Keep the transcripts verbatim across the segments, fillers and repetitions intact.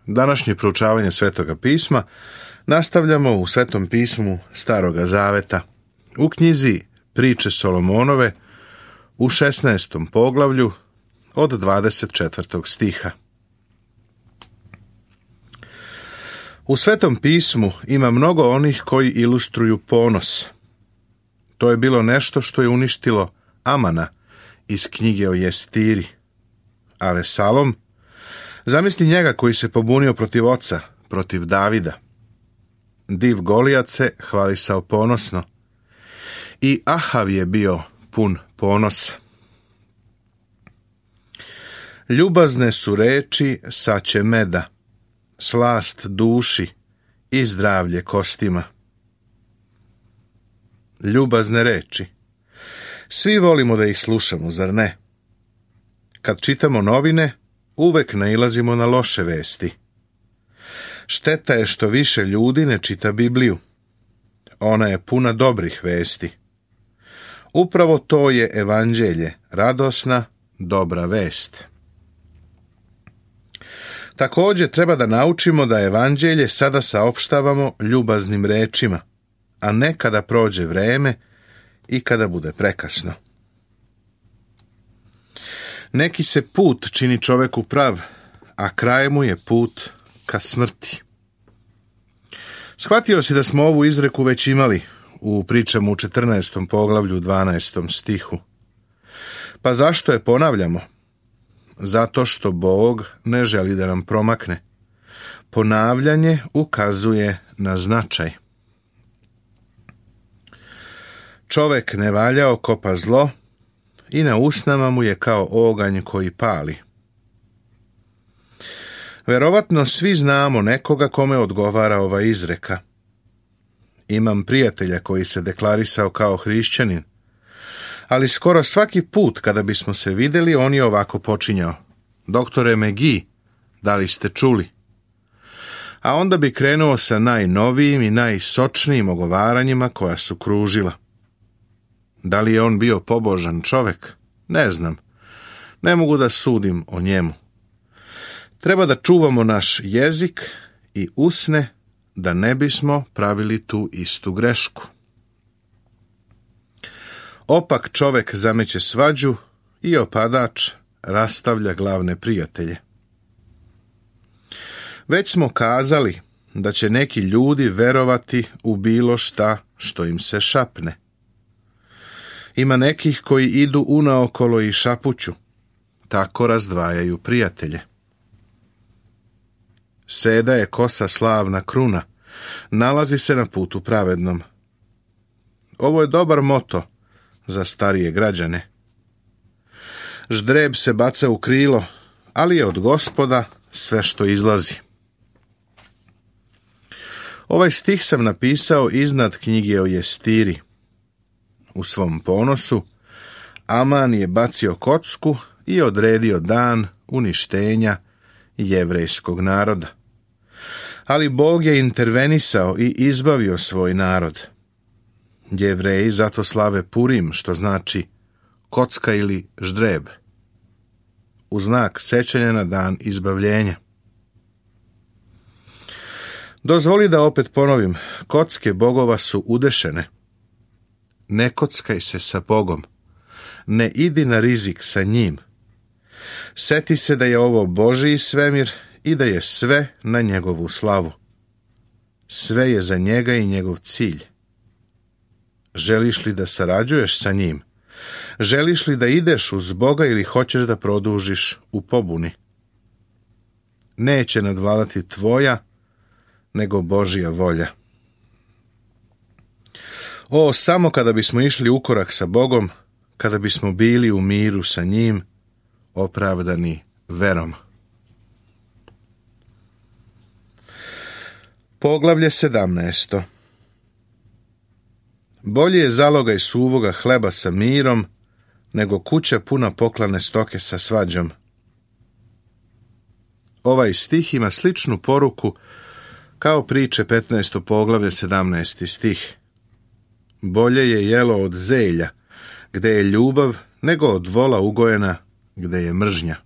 Današnje proučavanje Svetoga pisma nastavljamo u Svetom pismu Staroga zaveta, u knjizi Priče Solomonove, u šesnaestom poglavlju od dvadeset četvrtog stiha. U Svetom pismu ima mnogo onih koji ilustruju ponos. To je bilo nešto što je uništilo Amana iz knjige o Jestiri. A Vesalom, zamisli njega koji se pobunio protiv oca, protiv Davida. Div Golijat se hvalisao ponosno. I Ahav je bio pun ponosa. Ljubazne su reči saće meda, slast duši i zdravlje kostima. Ljubazne reči. Svi volimo da ih slušamo, zar ne? Kad čitamo novine, uvek nailazimo na loše vesti. Šteta je što više ljudi ne čita Bibliju. Ona je puna dobrih vesti. Upravo to je evanđelje, radosna, dobra vest. Također treba da naučimo da evanđelje sada saopštavamo ljubaznim rečima, a ne kada prođe vreme i kada bude prekasno. Neki se put čini čoveku prav, a kraj mu je put ka smrti. Shvatio si da smo ovu izreku već imali u pričama u četrnaestom poglavlju dvanaestom stihu. Pa zašto je ponavljamo? Zato što Bog ne želi da nam promakne. Ponavljanje ukazuje na značaj. Čovek nevaljao kopa zlo i na usnama mu je kao oganj koji pali. Verovatno svi znamo nekoga kome odgovara ova izreka. Imam prijatelja koji se deklarisao kao hrišćanin, ali skoro svaki put kada bismo se vidjeli, on je ovako počinjao. Doktore Megi, da li ste čuli? A onda bi krenuo sa najnovijim i najsočnijim ogovaranjima koja su kružila. Da li je on bio pobožan čovek? Ne znam. Ne mogu da sudim o njemu. Treba da čuvamo naš jezik i usne da ne bismo pravili tu istu grešku. Opak čovek zameće svađu i opadač rastavlja glavne prijatelje. Već smo kazali da će neki ljudi verovati u bilo šta što im se šapne. Ima nekih koji idu unaokolo i šapuću, tako razdvajaju prijatelje. Seda je kosa slavna kruna, nalazi se na putu pravednom. Ovo je dobar moto za starije građane. Ždreb se baca u krilo, ali je od Gospoda sve što izlazi. Ovaj stih sam napisao iznad knjige o Jestiri. U svom ponosu Aman je bacio kocku i odredio dan uništenja jevrejskog naroda. Ali Bog je intervenisao i izbavio svoj narod. Jevreji zato slave Purim, što znači kocka ili ždreb, u znak sećanja na dan izbavljenja. Dozvoli da opet ponovim, kocke bogova su udešene. Ne kockaj se sa Bogom, ne idi na rizik sa njim. Seti se da je ovo Božji svemir i da je sve na njegovu slavu. Sve je za njega i njegov cilj. Želiš li da sarađuješ sa njim? Želiš li da ideš uz Boga ili hoćeš da produžiš u pobuni? Neće nadvladati tvoja, nego Božja volja. O, samo kada bismo išli u korak sa Bogom, kada bismo bili u miru sa njim, opravdani verom. Poglavlje sedamnaesto. Bolje je zalogaj suvoga hleba sa mirom, nego kuća puna poklane stoke sa svađom. Ovaj stih ima sličnu poruku kao priče petnaesto poglavlje sedamnaesti stih. Bolje je jelo od zelja, gde je ljubav, nego od vola ugojena, gde je mržnja.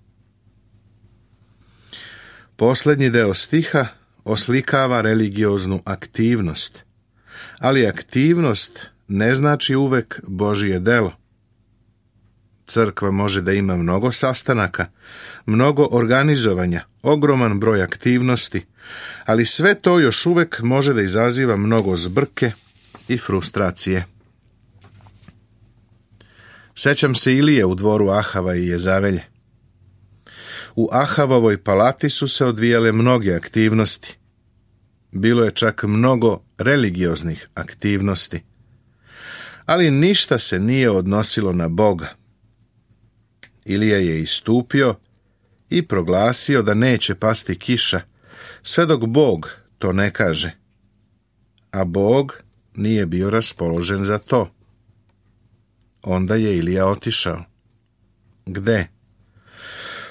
Posljednji deo stiha oslikava religioznu aktivnost, ali aktivnost ne znači uvek Božije delo. Crkva može da ima mnogo sastanaka, mnogo organizovanja, ogroman broj aktivnosti, ali sve to još uvek može da izaziva mnogo zbrke i frustracije. Sećam se Ilije u dvoru Ahava i Jezavelje. U Ahavovoj palati su se odvijale mnoge aktivnosti. Bilo je čak mnogo religioznih aktivnosti. Ali ništa se nije odnosilo na Boga. Ilija je istupio i proglasio da neće pasti kiša, sve dok Bog to ne kaže. A Bog nije bio raspoložen za to. Onda je Ilija otišao. Gde?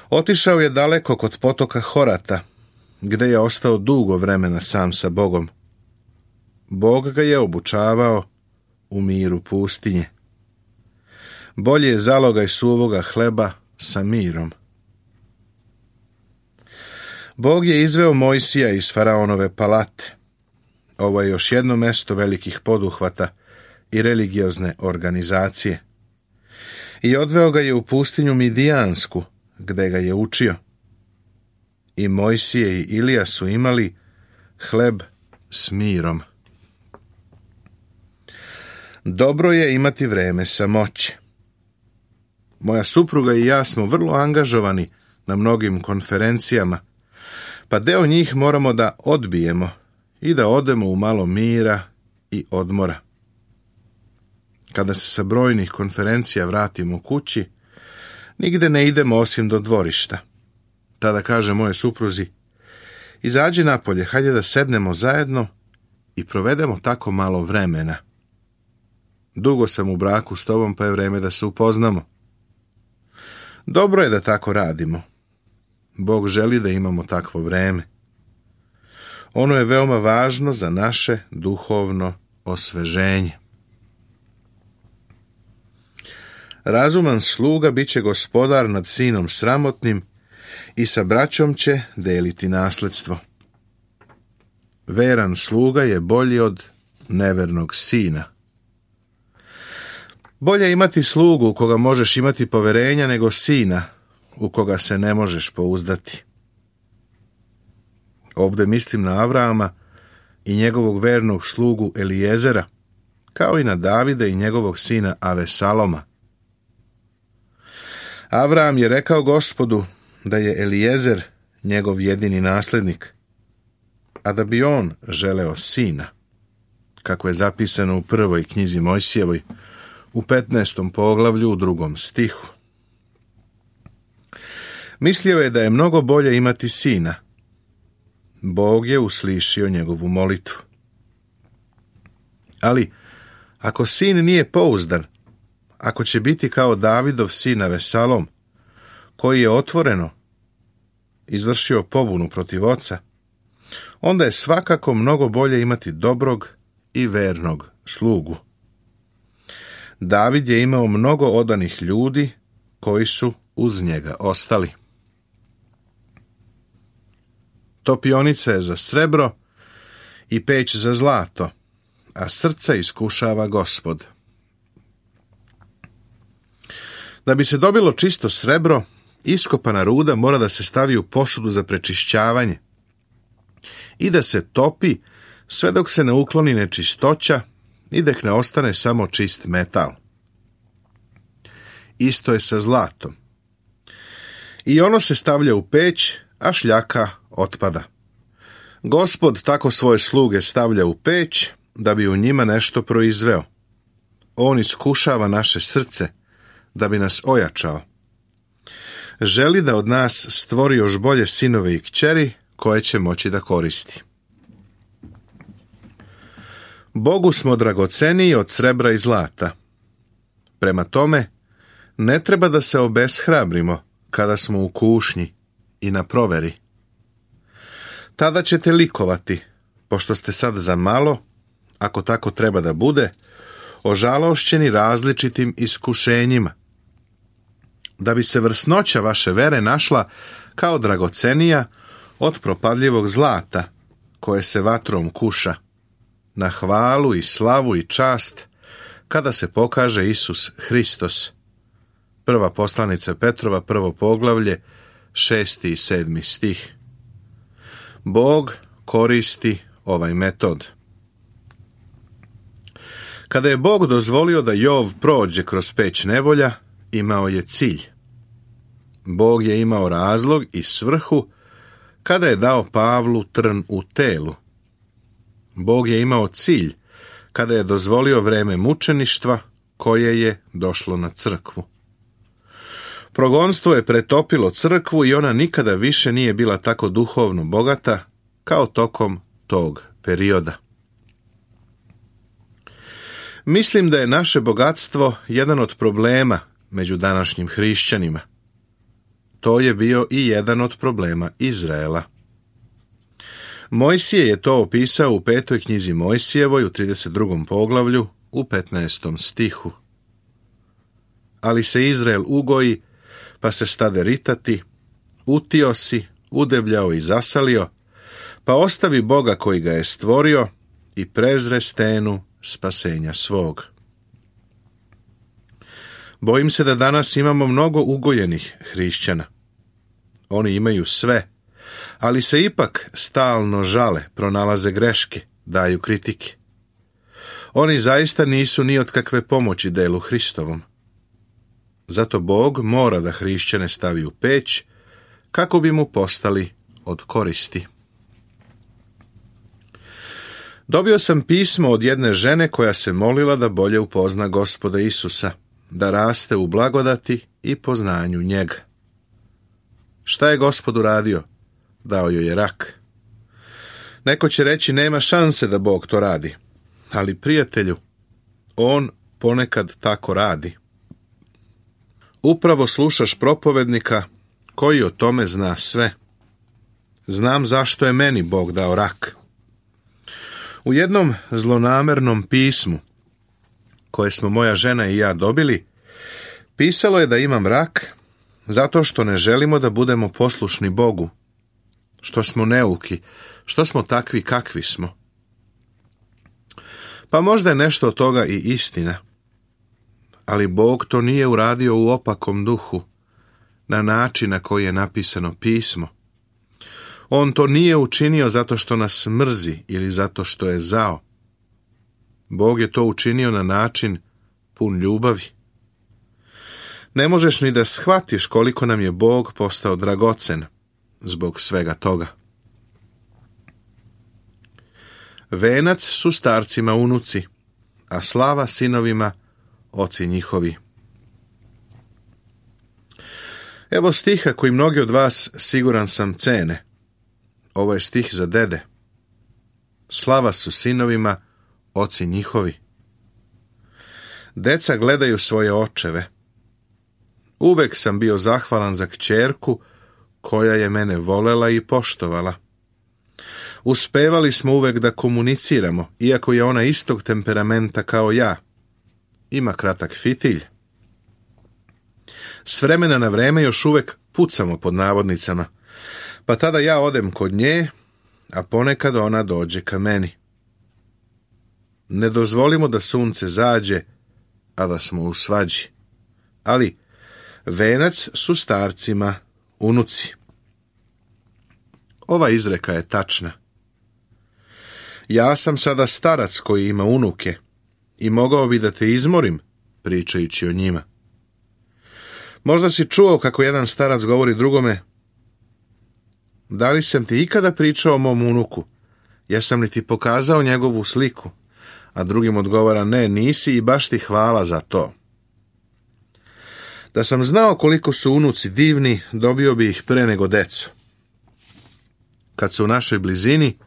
Otišao je daleko kod potoka Horata, gde je ostao dugo vremena sam sa Bogom. Bog ga je obučavao u miru pustinje. Bolje je zalogaj suvoga hleba sa mirom. Bog je izveo Mojsija iz Faraonove palate. Ovo je još jedno mesto velikih poduhvata i religiozne organizacije. I odveo ga je u pustinju Midijansku, gde ga je učio. I Mojsije i Ilija su imali hleb s mirom. Dobro je imati vreme samoće. Moja supruga i ja smo vrlo angažovani na mnogim konferencijama, pa deo njih moramo da odbijemo i da odemo u malo mira i odmora. Kada se sa brojnih konferencija vratimo kući, nigde ne idemo osim do dvorišta. Tada kaže moje supruzi, izađi napolje, hajde da sednemo zajedno i provedemo tako malo vremena. Dugo sam u braku s tobom, pa je vreme da se upoznamo. Dobro je da tako radimo. Bog želi da imamo takvo vreme. Ono je veoma važno za naše duhovno osveženje. Razuman sluga bit će gospodar nad sinom sramotnim i sa braćom će deliti nasledstvo. Veran sluga je bolji od nevernog sina. Bolje imati slugu u koga možeš imati poverenja nego sina u koga se ne možeš pouzdati. Ovde mislim na Avrama i njegovog vernog slugu Elijezera, kao i na Davida i njegovog sina Avesaloma. Avram je rekao Gospodu da je Elijezer njegov jedini naslednik, a da bi on želeo sina, kako je zapisano u prvoj knjizi Mojsijevoj, u petnaestom poglavlju u drugom stihu. Mislio je da je mnogo bolje imati sina. Bog je uslišio njegovu molitvu. Ali, ako sin nije pouzdan, ako će biti kao Davidov sin Avesalom, koji je otvoreno izvršio pobunu protiv oca, onda je svakako mnogo bolje imati dobrog i vernog slugu. David je imao mnogo odanih ljudi koji su uz njega ostali. Topionica je za srebro i peć za zlato, a srce iskušava Gospod. Da bi se dobilo čisto srebro, iskopana ruda mora da se stavi u posudu za prečišćavanje i da se topi sve dok se ne ukloni nečistoća i dok ne ostane samo čist metal. Isto je sa zlatom. I ono se stavlja u peć, a šljaka otpada. Gospod tako svoje sluge stavlja u peć da bi u njima nešto proizveo. On iskušava naše srce da bi nas ojačao. Želi da od nas stvori još bolje sinove i kćeri koje će moći da koristi. Bogu smo dragoceniji od srebra i zlata. Prema tome, ne treba da se obeshrabrimo kada smo u kušnji i na proveri. Tada ćete likovati, pošto ste sad za malo, ako tako treba da bude, ožalošćeni različitim iskušenjima, da bi se vrsnoća vaše vere našla kao dragocenija od propadljivog zlata koje se vatrom kuša, na hvalu i slavu i čast kada se pokaže Isus Hristos. Prva poslanica Petrova, prvo poglavlje, šesti i sedmi stih. Bog koristi ovaj metod. Kada je Bog dozvolio da Jov prođe kroz peć nevolja, imao je cilj. Bog je imao razlog i svrhu kada je dao Pavlu trn u telu. Bog je imao cilj kada je dozvolio vreme mučeništva koje je došlo na crkvu. Progonstvo je pretopilo crkvu i ona nikada više nije bila tako duhovno bogata kao tokom tog perioda. Mislim da je naše bogatstvo jedan od problema među današnjim hrišćanima. To je bio i jedan od problema Izraela. Mojsije je to opisao u petoj knjizi Mojsijevoj u trideset drugom poglavlju u petnaestom stihu. Ali se Izrael ugoji, pa se stade ritati, utio si, udebljao i zasalio, pa ostavi Boga koji ga je stvorio i prezre stenu spasenja svog. Bojim se da danas imamo mnogo ugojenih hrišćana. Oni imaju sve, ali se ipak stalno žale, pronalaze greške, daju kritike. Oni zaista nisu ni od kakve pomoći delu Hristovom. Zato Bog mora da hrišćane stavi u peć, kako bi mu postali od koristi. Dobio sam pismo od jedne žene koja se molila da bolje upozna Gospoda Isusa, da raste u blagodati i poznanju njega. Šta je Gospod uradio? Dao joj je rak. Neko će reći nema šanse da Bog to radi, ali prijatelju, on ponekad tako radi. Upravo slušaš propovednika koji o tome zna sve. Znam zašto je meni Bog dao rak. U jednom zlonamernom pismu, koje smo moja žena i ja dobili, pisalo je da imam rak zato što ne želimo da budemo poslušni Bogu, što smo neuki, što smo takvi kakvi smo. Pa možda je nešto od toga i istina, ali Bog to nije uradio u opakom duhu, na način na koji je napisano pismo. On to nije učinio zato što nas mrzi ili zato što je zao. Bog je to učinio na način pun ljubavi. Ne možeš ni da shvatiš koliko nam je Bog postao dragocen zbog svega toga. Venac su starcima unuci, a slava sinovima oci njihovi. Evo stiha koji mnogi od vas, siguran sam, cene. Ovo je stih za dede. Slava su sinovima oci njihovi. Deca gledaju svoje očeve. Uvek sam bio zahvalan za kćerku koja je mene volela i poštovala. Uspevali smo uvek da komuniciramo, iako je ona istog temperamenta kao ja. Ima kratak fitilj. S vremena na vreme još uvek pucamo pod navodnicama, pa tada ja odem kod nje, a ponekad ona dođe ka meni. Ne dozvolimo da sunce zađe, a da smo u svađi. Ali venac su starcima unuci. Ova izreka je tačna. Ja sam sada starac koji ima unuke i mogao bi da te izmorim pričajući o njima. Možda si čuo kako jedan starac govori drugome: da li sam ti ikada pričao o mom unuku? Jesam li ti pokazao njegovu sliku? A drugim odgovara: ne, nisi i baš ti hvala za to. Da sam znao koliko su unuci divni, dobio bi ih pre nego decu. Kad su u našoj blizini,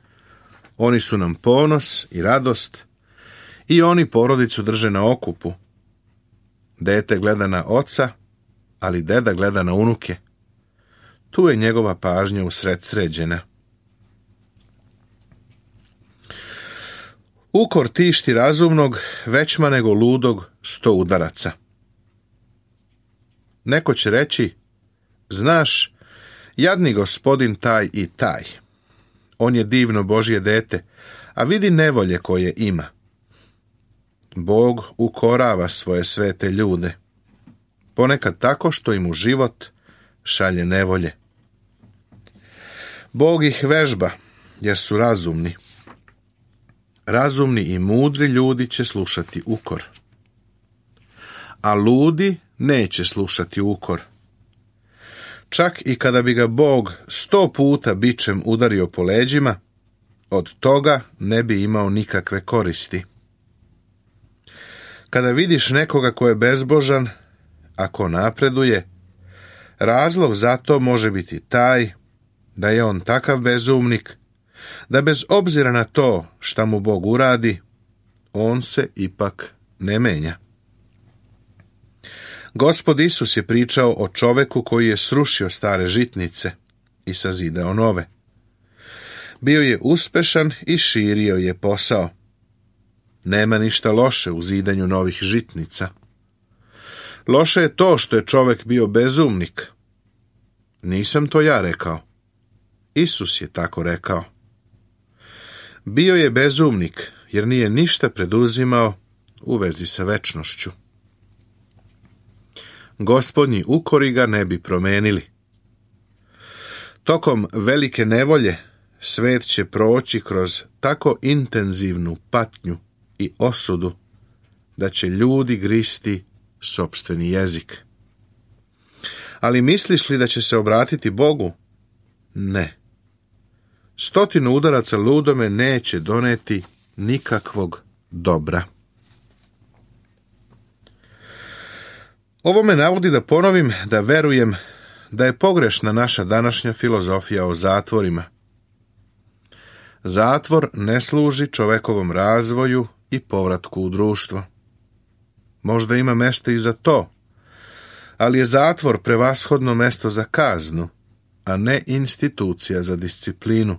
oni su nam ponos i radost i oni porodicu drže na okupu. Dete gleda na oca, ali deda gleda na unuke. Tu je njegova pažnja usred sređena. Ukor tišti razumnog, većma nego ludog sto udaraca. Neko će reći: znaš, Jadni gospodin taj i taj. On je divno Božje dete, a vidi nevolje koje ima. Bog ukorava svoje svete ljude, ponekad tako što im u život šalje nevolje. Bog ih vežba, jer su razumni. Razumni i mudri ljudi će slušati ukor, a ludi neće slušati ukor. Čak i kada bi ga Bog sto puta bičem udario po leđima, od toga ne bi imao nikakve koristi. Kada vidiš nekoga ko je bezbožan, ako napreduje, razlog za to može biti taj da je on takav bezumnik, da bez obzira na to šta mu Bog uradi, on se ipak ne menja. Gospod Isus je pričao o čoveku koji je srušio stare žitnice i sazidao nove. Bio je uspešan i širio je posao. Nema ništa loše u zidanju novih žitnica. Loše je to što je čovek bio bezumnik. Nisam to ja rekao. Isus je tako rekao. Bio je bezumnik jer nije ništa preduzimao u vezi sa večnošću. Gospodnji ukori ga ne bi promenili. Tokom velike nevolje svet će proći kroz tako intenzivnu patnju i osudu da će ljudi gristi sopstveni jezik. Ali misliš li da će se obratiti Bogu? Ne. Stotinu udaraca ludome neće doneti nikakvog dobra. Ovo me navodi da ponovim da verujem da je pogrešna naša današnja filozofija o zatvorima. Zatvor ne služi čovekovom razvoju i povratku u društvo. Možda ima mesta i za to, ali je zatvor prevashodno mesto za kaznu, a ne institucija za disciplinu.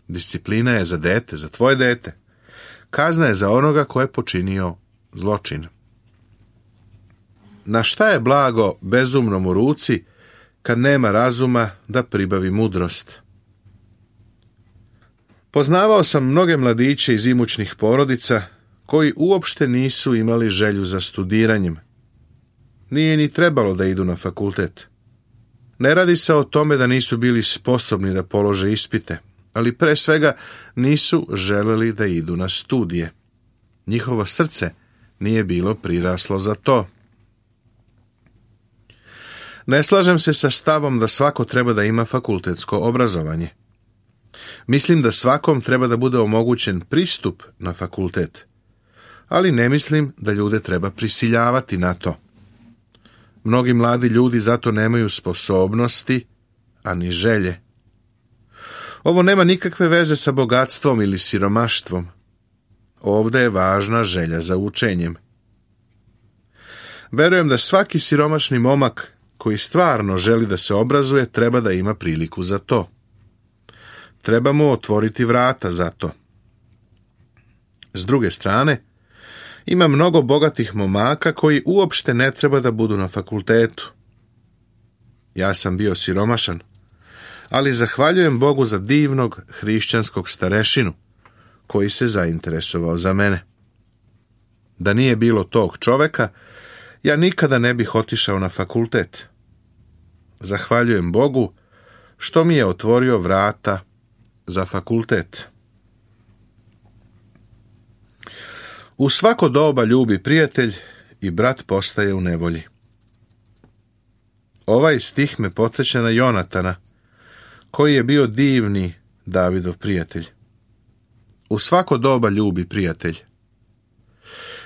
Disciplina je za dete, za tvoje dete. Kazna je za onoga ko je počinio zločin. Na šta je blago bezumnom u ruci kad nema razuma da pribavi mudrost? Poznavao sam mnoge mladiće iz imućnih porodica koji uopšte nisu imali želju za studiranjem. Nije ni trebalo da idu na fakultet. Ne radi se o tome da nisu bili sposobni da polože ispite, ali pre svega nisu želeli da idu na studije. Njihovo srce nije bilo priraslo za to. Ne slažem se sa stavom da svako treba da ima fakultetsko obrazovanje. Mislim da svakom treba da bude omogućen pristup na fakultet, ali ne mislim da ljude treba prisiljavati na to. Mnogi mladi ljudi zato nemaju sposobnosti, ani želje. Ovo nema nikakve veze sa bogatstvom ili siromaštvom. Ovde je važna želja za učenjem. Verujem da svaki siromašni momak koji stvarno želi da se obrazuje treba da ima priliku za to. Treba mu otvoriti vrata za to. S druge strane, ima mnogo bogatih momaka koji uopšte ne treba da budu na fakultetu. Ja sam bio siromašan, ali zahvaljujem Bogu za divnog hrišćanskog starešinu koji se zainteresovao za mene. Da nije bilo tog čoveka, ja nikada ne bih otišao na fakultet. Zahvaljujem Bogu što mi je otvorio vrata za fakultet. U svako doba ljubi prijatelj i brat postaje u nevolji. Ovaj stih me podsjeća na Jonatana, koji je bio divni Davidov prijatelj. U svako doba ljubi prijatelj.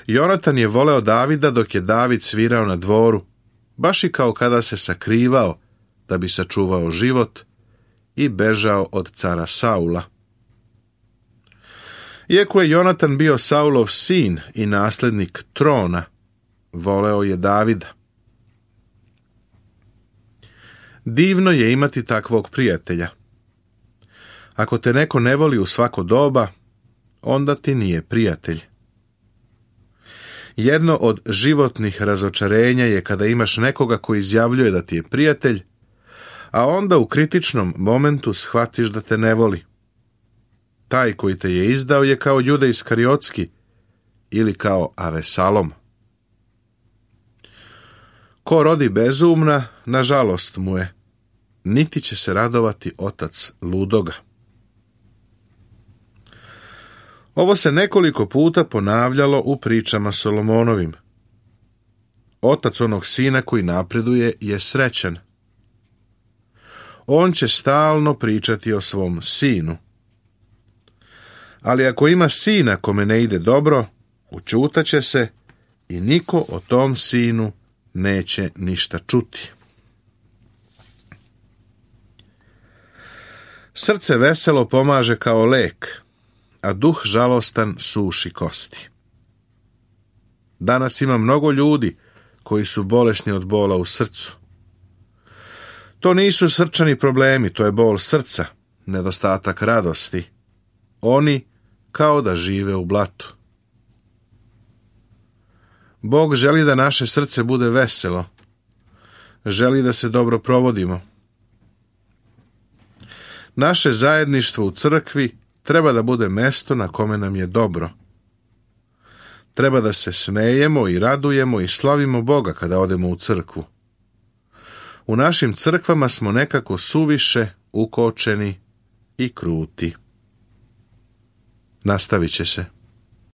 Jonatan je voleo Davida dok je David svirao na dvoru, baš i kao kada se sakrivao da bi sačuvao život i bežao od cara Saula. Iako je Jonatan bio Saulov sin i naslednik trona, voleo je Davida. Divno je imati takvog prijatelja. Ako te neko ne voli u svako doba, onda ti nije prijatelj. Jedno od životnih razočarenja je kada imaš nekoga koji izjavljuje da ti je prijatelj, a onda u kritičnom momentu shvatiš da te ne voli. Taj koji te je izdao je kao Juda Iskariotski ili kao Avesalom. Ko rodi bezumna, nažalost mu je, niti će se radovati otac ludoga. Ovo se nekoliko puta ponavljalo u pričama Solomonovim. Otac onog sina koji napreduje je srećan. On će stalno pričati o svom sinu. Ali ako ima sina kome ne ide dobro, učutaće se i niko o tom sinu neće ništa čuti. Srce veselo pomaže kao lek, a duh žalostan suši kosti. Danas ima mnogo ljudi koji su bolesni od bola u srcu. To nisu srčani problemi, to je bol srca, nedostatak radosti. Oni kao da žive u blatu. Bog želi da naše srce bude veselo. Želi da se dobro provodimo. Naše zajedništvo u crkvi treba da bude mesto na kome nam je dobro. Treba da se smejemo i radujemo i slavimo Boga kada odemo u crkvu. U našim crkvama smo nekako suviše ukočeni i kruti. Nastavit će se.